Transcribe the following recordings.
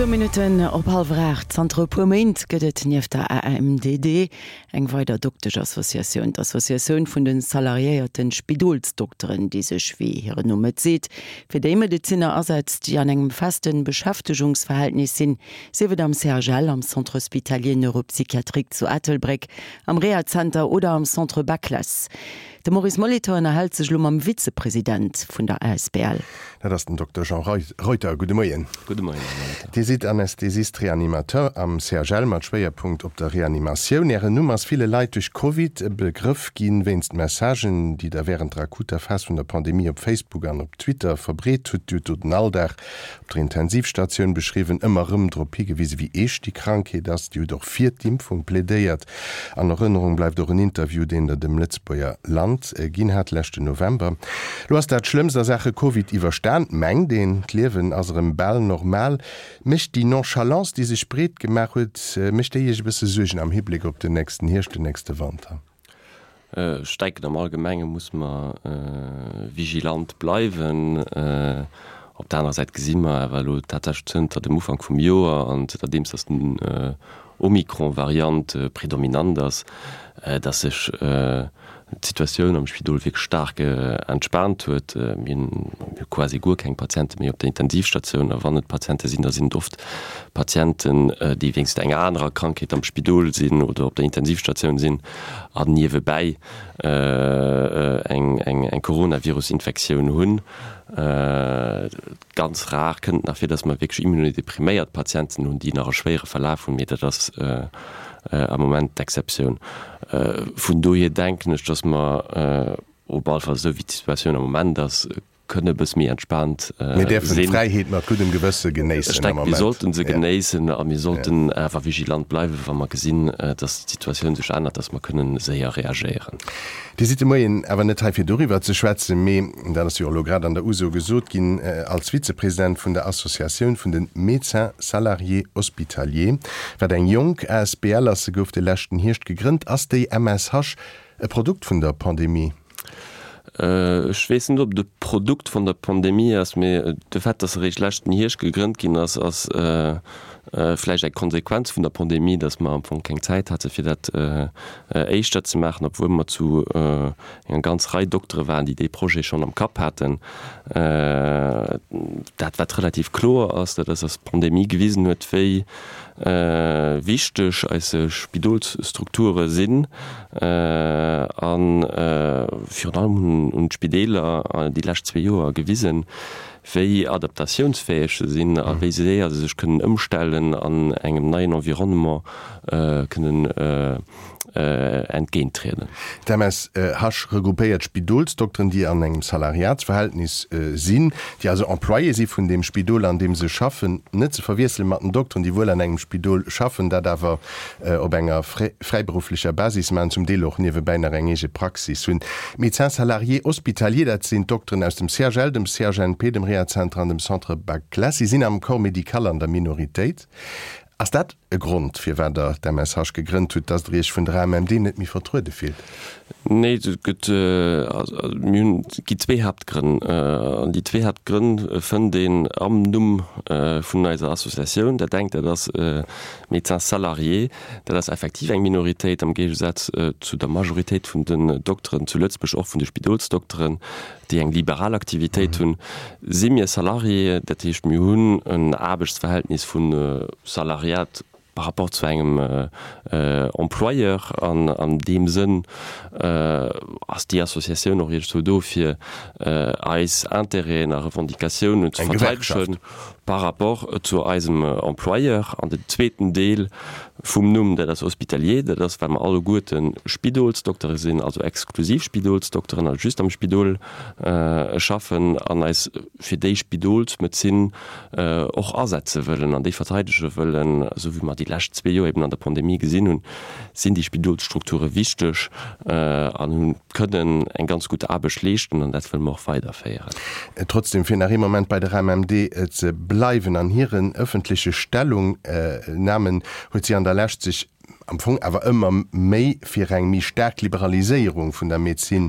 Zwou Minutten op hallwer 8. Zanter e puer Méint gëtt et nieft der AMDD eng weider Dokteschassociatioun, d'Associatioun vun de salariéierte Spidolsdokteren, déi sech, wéi hiren Numm et seet, fir déi Medezinner asetzt, déi an engem feste Beschäftegungsverhältnis sinn, sief et am CHL, am Centre hospitalier neuropsychiatrique zu Ettelbréck, am Rehazenter oder am Centre Baclesse. De Maurice Molitor ënnerhält sech elo mam Vizepresident vun der asbl. Dat ass den Dokter Jean Reuter. Gudde Moien. Gudde Moien, Här Molitor. Dir sidd Anästhesist-Reanimateur am CHL mat Schwéierpunkt op der Reanimatioun. Ären Numm ass ville Leit duerch Covid e Begrëff ginn, wéinst Messagen, déi Der wärend der akuter Phas vun der Pandemie op Facebook an op Twitter verbreet hutt. Dir hutt do den Alldag op der Intensivstatioun beschriwwen, ëmmer erëm drop higewisen, wéi eescht déi Krankheet ass. Dir hutt och fir d'Impfung plädéiert. An Erënnerung bleift och en Interview, deen Der dem Lëtzebuerger Land ginn hat leschten November. Lo ass dat Schlëmmst a Saache Covid iwwerstan, mengt een. D'Liewen ass erëm bal normal. Mécht déi Nonchalance, déi sech breet gemaach huet, mécht déi Iech e bësse Suergen am Hibléck op den nächsten Hierscht, den nächste Wanter? Ech denken, am Allgemenge muss mer vigilant bleiwen. Op der anerer Säit gesi mer awer elo tatsächlech zënter dem Ufank vum Joer an zënterdeems datt den Omikron-Variant predominant ass, datt sech d'Situatioun am Spidol wierklech staark entspaant huet. Mir hu quasi guer keng Patiente méi op der Intensivstatioun a wann et Patiente sinn, da sinn et oft Patienten, déi wéinst enger anerer Krankheet am Spidol sinn oder op der Intensivstatioun sinn an niewebäi eng Coronavirus-Infektioun hunn. Ganz rar kënnt et nach vir, dass mer wierklech immunodepriméiert Patienten hunn, déi nach e schwéiere Verlaf hunn, mee dat ass am Moment d'Exceptioun. Vun dohier denken ech, dass mer op alle Fall, esou wéi d'Situatioun am Moment ass, kënne e bësse méi entspaant sinn. Mir däerfen d'Fräiheet mat guddem Gewësse genéissen am Moment. Ech denken, mir sollten se genéissen a mir sollten awer vigilant bleiwen, wa mer gesinn, dass d'Situatioun sech ännert, dass mer kënnen séier reagéieren. Dir sidd de Moien awer net hei fir doriwwer ze schwätzen, mee, dat ass jo och elo grad an der Uso gesot ginn, als Vizepresident vun der Associatioun vun de Médecins salariés hospitaliers, wat eng jonk asbl ass, se gouf de leschten Hierscht gegrënnt. Ass déi MSH e Produkt vun der Pandemie? Ech weess net, ob et e Produkt vun der Pandemie ass, mee de Fait, dass se eréischt leschten Hierscht gegrënnt ginn ass, ass vläicht eng Konsequenz vun der Pandemie, dass mer am Fong keng Zäit hate fir dat éischter ze maachen, obwuel mer zu enger ganz Rei Doktere waren, déi dee Projet schonn am Kapp haten. Dat wat relativ kloer ass, dat ass, dass d'Pandemie gewisen huet, wéi wichteg eis Spidolsstrukture sinn a virun allem hunn d'Spideeler déi lescht zwee Joer gewisen, wéi adaptatiounsfäeg se sinn a wéi séier se sech kënnen ëmstellen an engem neien Environnement kënnen entgéinttrieden. D'MSH regroupéiert Spidolsdokteren, déi an engem Salariatsverhältnis sinn, déi also Employé si vun deem Spidol, an deem se schaffen. Net ze verwiessele mat den Dokteren, déi wuel an engem Spidol schaffen, dat awer op enger fräiberufflecher Basis maachen, zum Deel och niewebäi nach eng eege Praxis hunn. D'Médecins salariés hospitaliers, dat sinn d'Dokteren aus dem CHL, dem CHNP, dem Rehazenter an dem Centre Baclesse. Si sinn am Corps médical an der Minoritéit. Ass dat e Grond, firwat Der d'MSH gegrënnt hutt, dass Der Iech vun der AMMD net méi vertruede fillt? Nee, et gëtt, mir hunn, et gi zwee Haaptgrënn. An déi zwee Haaptgrënn fënnt een am Numm vun eiser Associatioun. Dat engt, dat ass Médecins salariés, dat ass effektiv eng Minoritéit am Géigesaz zu der Majoritéit vun den Dokteren zu Lëtzebuerg, och vun de Spidolsdokteren, déi eng liberal Aktivitéit hunn, si mir Salariéë. Dat heescht, mir hunn en Aarbechtsverhältnis vu Salariat par rapport zu engem Employeur. An an deem Sënn ass déi Associatioun och iergendwou do, fir eis Intérêten a Revendicatiounen ze verteidegen. Par rapport zu eisem Employeur. An den zweeten Deel vum Numm, dat ass hospitalier, dat ass, well mer alleguerte Spidolsdoktere sinn, also exklusiv Spidolsdokteren, also just am Spidol schaffen an eis fir déi Spidolsmedezin och asetze wëllen an déi verteidege wëllen. Esou wéi mer déi lescht zwee Joer eben an der Pandemie gesinn hunn, sinn déi Spidolsstrukture wichteg an hunn kënnen eng ganz gutt Aarbecht leeschten an dat wëlle mer och weiderféieren. Trotzdem, fir nach ee Moment bei der AMMD ze bleiwen, an hiren ëffentleche Stellungnamen huet si an der Lescht sech am Fong awer ëmmer méi fir eng méi staark Liberaliséierung vun der Medezin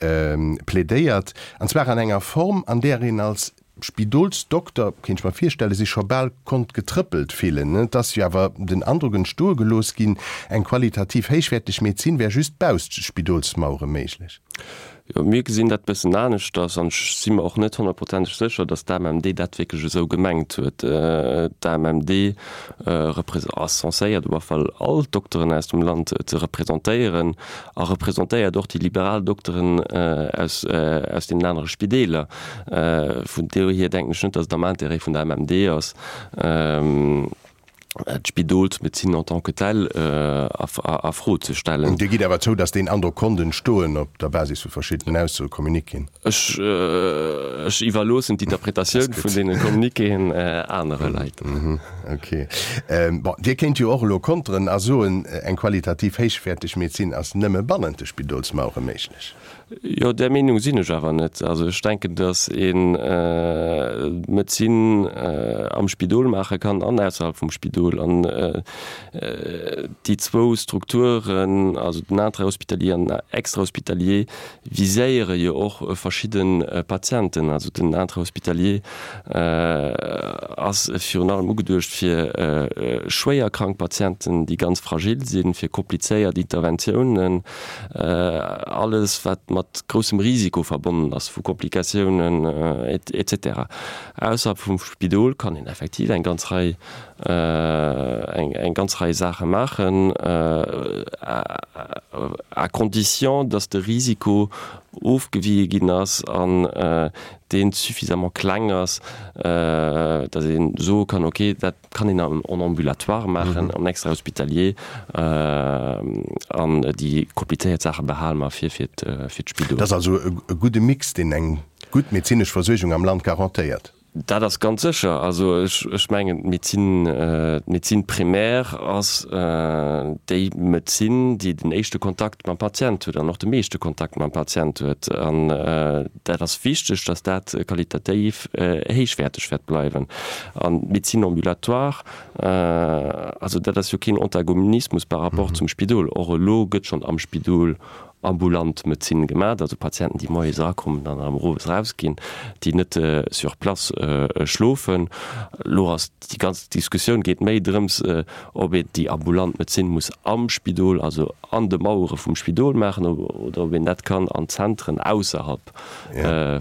plädéiert, an zwar an enger Form, an där een als. Spidolsdokter, kéint ech mer virstellen, sech scho bal konnt getrëppelt fillen. Et ass jo awer den Androck entstoe gelooss ginn, eng qualitativ héichwäerteg Medezin wär just bausst de Spidolsmauere méiglech. Jo, mir gesinn dat bëssen aneschters an ech si mer och net honnertprozenteg sécher, datt d'AMMD dat wierklech esou gemengt huet. D'AMMD ass censéiert op alle Fall all d'Dokteren aus dem Land ze representéieren a representéiert och déi liberal Dokteren aus aus deenen anere Spideeler. Vun dohier denken ech net, datt et am Intérêt vun der AMMD ass, d'Spidolsmedezin en tant que telle a Fro ze stellen. Dir gitt awer zou, datt deen Androck konnt entstoen op der Basis vu verschiddenen Aussoe, Communiquéen? Ech iwwerloossen d'Interpretatioun vun deene Communiquéen anere Leit. Ok. Bon, Dir kéint jo och elo konteren a soen, eng qualitativ héichwäerteg Medezin ass nëmme bannent de Spidolsmauere méiglech. Jo, där Meenung sinn ech awer net. Also ech denken, datt ee Medezin am Spidol maache kann an ausserhalb vum Spidol. An déi zwou Strukturen, also den Intrahospitalier an den Extrahospitalier, viséiere jo och verschidde Patienten. Also den Intrahospitalier ass virun allem ugeduecht fir schwéier krank Patienten, déi ganz fragil sinn, fir komplizéiert Interventiounen. Alles wat mat groussem Risiko verbonnen ass, vu Komplikatiounen et cetera. Ausserhalb vum Spidol kann een effektiv eng ganz Rei, eng ganz Rei Saache maachen, à condition dass de Risiko ofgewiee ginn ass an dee suffisamment kleng ass, dass ee soe kann, okay, dat kann een en ambulatoire maachen, en extra-hospitalier, an déi komplizéiert Saache behale mer fir fir d'Spidol. Dat ass also e gudde Mix, deen eng gutt medezinesch Versuergung am Land garantéiert. Dat ass ganz sécher. Also ech mengen, d'Médecine, d'Médecine primaire ass déi Medezin, déi den éischte Kontakt mam Patient huet an och de meeschte Kontakt mam Patient huet. An dat ass wichteg, datt dat qualitativ héichwäerteg wäert bleiwen. An d'Médecine ambulatoire, also dat ass jo keen Antagonismus par rapport zum Spidol. Och elo gëtt schonn am Spidol ambulant Medezin gemaach, also Patienten, déi moies erakommen an erëm owes erausginn, déi net sur place schlofen. Elo ass déi ganz Diskussioun geet méi drëms, ob een déi ambulant Medezin muss am Spidol, also an de Mauere vum Spidol maachen, oder ob een dat kann an Zentren ausserhalb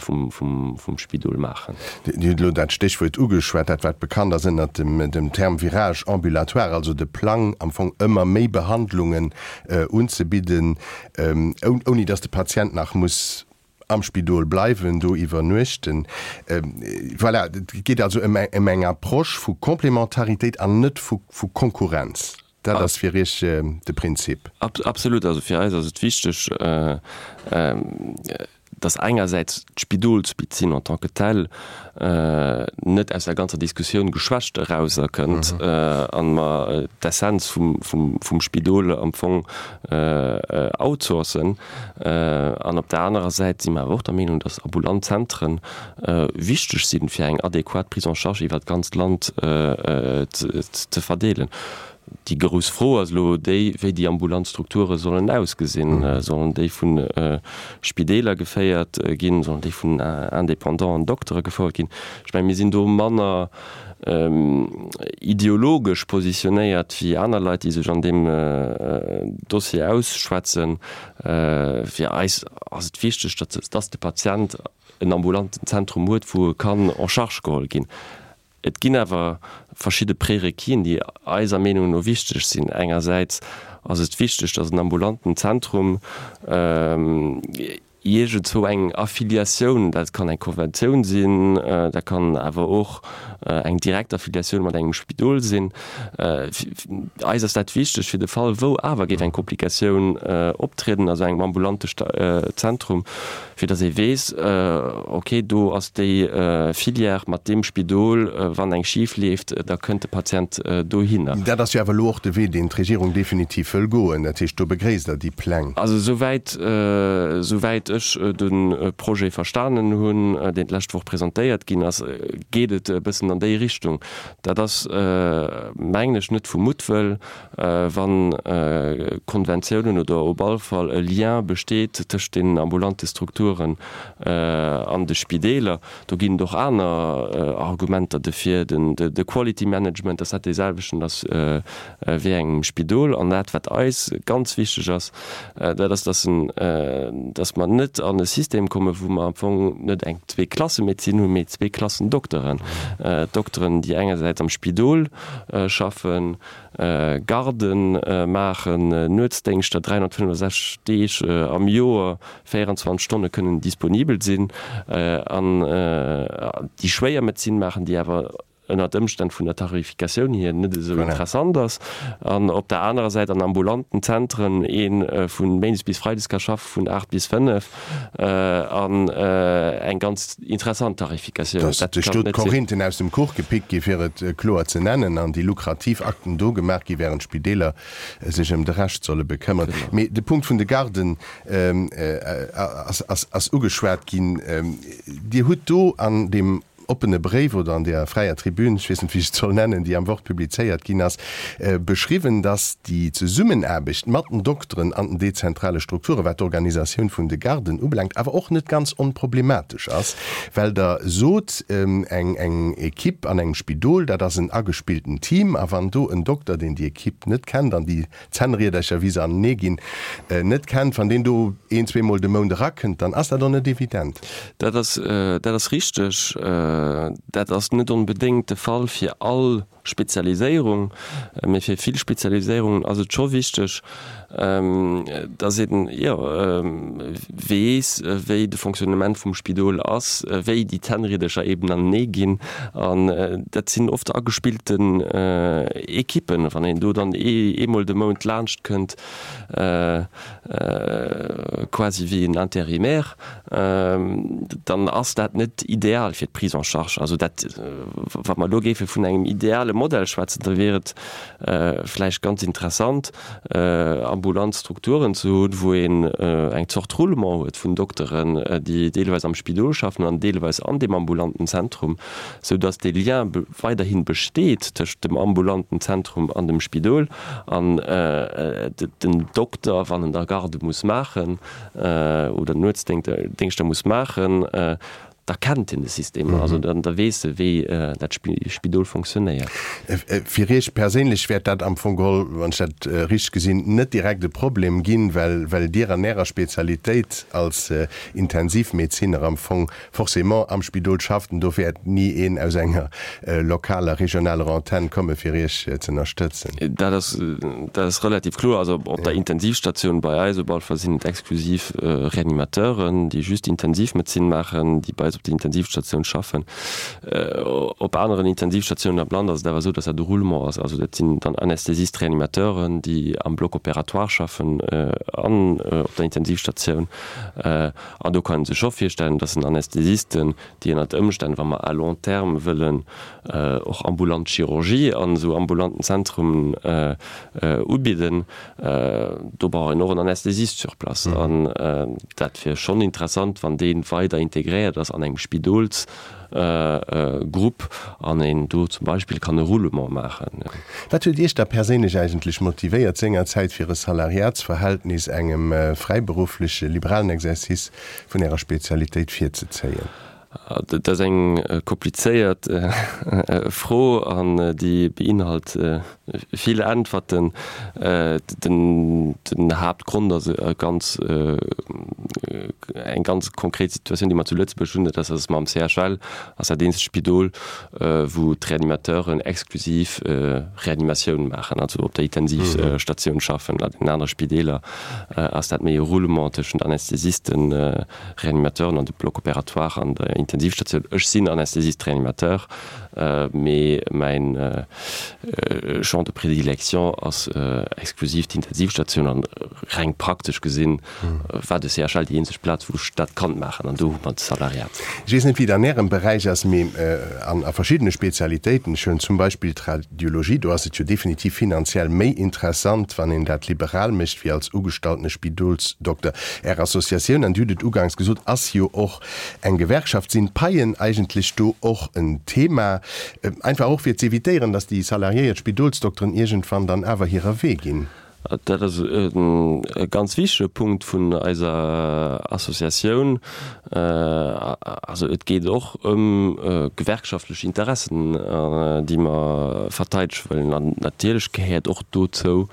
vum Spidol maachen. Dir hutt elo dat Stéchwuert ugeschwat, dat wat bekannt ass ënnert dem Term Virage ambulatoire, also de Plang am Fong ëmmer méi Behandlungen unzebidden, ouni datt de Patient nach muss am Spidol bleiwen, do iwwernuechten. Voilà, et geet also ëm eng Approche vu Complémentaritéit an net vu Konkurrenz. Dat ass fir Iech de Prinzip? Absolut. Also fir eis ass et wichteg, datt engersäits d'Spidolsmedezin en tant que telle net aus der ganzer Diskussioun geschwächt erauserkënnt a mer d'Essenz vum Spidol am Fong outsourcen. An op der anerer Säit si mer awer och der Meenung, datt ambulant Zentren wichteg sinn, fir eng adequat Prise en charge iwwert d'ganzt Land ze verdeelen. Déi grouss Fro ass elo déi, wéi déi ambulant Strukture sollen ausgesinn. Sollen déi vu Spideeler geféiert ginn? Sollen déi vun indépendanten Doktere gefouert ginn? Ech mengen, mir sinn do manner ideologesch positionéiert wéi aner Leit, déi sech an deem Dossier ausschwätzen. Fir eis ass et wichteg, datt de Patient en ambulanten Zentrum huet, wou e kann en charge geholl ginn. Et ginn awer verschidde Prérequisen, déi eiser Meenung no wichteg sinn. Engersäits ass et wichteg, datt en ambulanten Zentrum iergendzwou eng Affiliatioun, dat kann eng Konventioun sinn, dat kann awer och eng direkt Affiliatioun mat engem Spidol sinn. Eis ass dat wichteg fir de Fall, wou awer géif eng Komplikatioun optrieden a sou engem ambulante Zentrum, fir datt ee weess, ok, do ass déi Filière mat deem Spidol, wann eng schif leeft, da kënnt de Patient dohinner. Dat ass jo awer elo och de Wee, deen d'Regierung definitiv wëll goen. Dat heescht, do begréisst Der déi Pläng? Also esouwäit, esouwäit. ech de Projet verstanen hunn, deen d'lescht Woch presentéiert ginn ass, geet et e bëssen an déi Richtung. Dat ass, mengen ech, net vu Muttwëll, wa Konventiounen oder op all Fall e Lien besteet tëscht deenen ambulante Strukturen an de Spideeler. Do ginn et och aner Argumenter dofir, de Quality Management, dass dat dee selwechten ass wéi engem Spidol. An dat, wat eis ganz wichteg ass, dat ass, dass en, dass mer net an e System kommen, wou mer am Fong net eng Zweeklassemedezin hunn, mee Zweeklassendokteren. Dokteren, déi engersäits am Spidol schaffen, Garden maachen, Nuetsdéngschter 365 Deeg am Joer, 24 Stonne kënnen disponibel sinn an déi schwéier Medezin maachen, déi awer ënnert Ëmstänn vun der Tarifikatioun hier net esou interessant ass, an op der anerer Säit an ambulanten Zentren ee vu méindes bis freides ka schaffe vun 8 bis 5 an eng ganz interessant Tarifikatioun. Dass sech do d'Korinthen aus dem Kuch gepickt gi fir et kloer ze nennen an déi lukrativ Akten do gemaach gi während d'Spideeler sech ëm de Rescht solle bekëmmeren. Mee de Punkt vun de Garden ass ugeschwat ginn. Dir hutt do an deem oppene Bréif oder an der fräier Tribün, ech weess net, wéi ech et soll nennen, déi am Wort publizéiert ginn ass, beschriwwen, dass déi Zesummenaarbecht mat den Dokteren an den dezentrale Strukturen, wat d'Organisatioun vun de Garden ubelaangt, awer och net ganz onproblematesch ass, well Der sot, eng eng Equipe an engem Spidol, dat ass en agespillten Team, a wann do en Dokter, deen déi Equipe net kennt an déi Zännriedercher, wéi se anenee ginn, net kennt, wann deen do een, zweemol de Mount erakënnt, dann ass dat och net evident. Dat ass, dat ass richteg. Dat ass net onbedéngt de Fall fir all Spezialiséierung, mee fir vill Spezialiséierungen ass et scho wichteg, dass een, jo, weess, wéi de Fonctionnement vum Spidol ass, wéi déi Zännriedercher eben anenee ginn. An dat sinn oft agespillten Ekippen. Wann een do dann eemol de Mount laanscht kënnt, quasi wéi en Intérimaire, dann ass dat net ideal fir d'Prise en charge. Also dat, wa mer elo géife vun engem ideale Modell schwätzen, da wier et vläicht ganz interessant, ambulant Strukturen ze hunn, wou een eng Zort Roulement huet vun Dokteren, déi deelweis am Spidol schaffen an deelweis an deem ambulanten Zentrum, sou datt dee Lien weiderhi besteet tëscht dem ambulanten Zentrum an dem Spidol an den Dokter, wann en da Garde muss maachen oder Nuetsdéngschter muss maachen, Da kennt en de System, also da weess e wéi dat Spidol fonctionnéiert. Fir Iech perséinlech wäert dat am Fong geholl, wann ech dat richteg gesinn, net direkt e Problem ginn, well Dir an Ärer Spezialitéit als Intensivmedeziner am Fong forcément am Spidol schafft an do wäert ni een aus enger lokaler, regionaler Antenn komme fir Iech z'ënnerstëtzen. Dat ass, dat ass relativ kloer. Also op der Intensivstatioun bei eis op alle Fall sinn et exklusiv Reanimateuren, déi just Intensivmedezin maachen, déi bei eis op der Intensivstatioun schaffen. Op aneren Intensivstatiounen am Land ass et awer esou, dass dat e Roulement ass. Also dat sinn dann Anästhesist-Reanimateuren, déi am Bloc opératoire schaffen an op der Intensivstatioun. An do kann ee sech scho virstellen, dass en Anästhesisten, déi ënnert Ëmstänn, wa mer à long terme wëllen och ambulant Chirurgie an esou ambulanten Zentrumen ubidden, do brauch een och en Anästhesist sur place. An dat wier schonn interessant, wann dee weider integréiert ass an engem Spidolsgrupp an een do zum Beispill kann e Roulement maachen. Wat huet Iech da perséinlech eigentlech motivéiert, sengerzäit fir e Salariatsverhältnis engem fräiberuffleche liberalen Exercice vun Ärer Spezialitéit virzezéien? Dat ass eng komplizéiert Fro an déi beinhalt vill Äntwerten. Den Haaptgrond ass e ganz, eng ganz konkret Situatioun, déi mer zu Lëtzebuerg hunn, dat ass, datt mer am CHL, ass dat eenzegt Spidol, wou d'Reanimateuren exklusiv Reanimatioun maachen, also op der Intensivstatioun schaffen. An den anere Spideeler ass dat méi e Roulement tëschent Anästhesisten, Reanimateuren an de Bloc opératoire an der. Intensivstatioun. Ech sinn Anästhesist-Reanimateur, mee mäin Champ de prédilection ass exklusiv d'Intensivstatioun an reng praktesch gesinn war de CHL déi eenzeg Plaz, wou ech dat kann maachen an do hu mer de Salariat. Ech weess net, wéi et an Ärem Beräich ass, mee an a verschiddene Spezialitéiten, ech huelen zum Beispill d'Radiologie, do ass et jo definitiv finanziell méi interessant, wann een dat liberal mécht, wéi als ugestalltene Spidolsdokter. Är Associatioun, an Dir hutt et uganks gesot, ass jo och eng Gewerkschaft. Sinn d'Paien eigentlech do och en Thema, einfach och fir z'evitéieren, datt déi salariéiert Spidolsdokteren iergendwann dann awer hirer Wee ginn? Dat ass e ganz wichtege Punkt vun eiser Associatioun. Also et geet och ëm gewerkschaftlech Interessen, déi mer verteidege wëllen. An natierlech gehéiert och dozou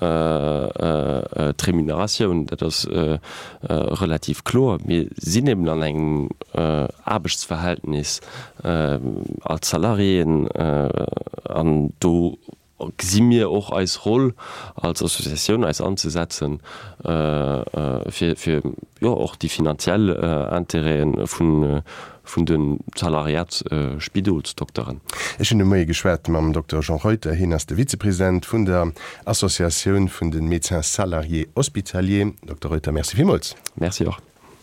d'Remuneratioun. Dat ass relativ kloer. Mir sinn eben an engem Aarbechtsverhältnis als Salariéen an do gesi mir och eis Roll als Associatioun eis anzesetzen, fir fir jo och déi finanziell Intérêten vun vun de Salariatsspidolsdokteren. Ech hunn de Moie geschwat mam Dokter Jean Reuter. Hien ass de Vizepresident vun der Associatioun vun de Médecins salariés hospitaliers. Dokter Reuter, Merci villmools. Merci och.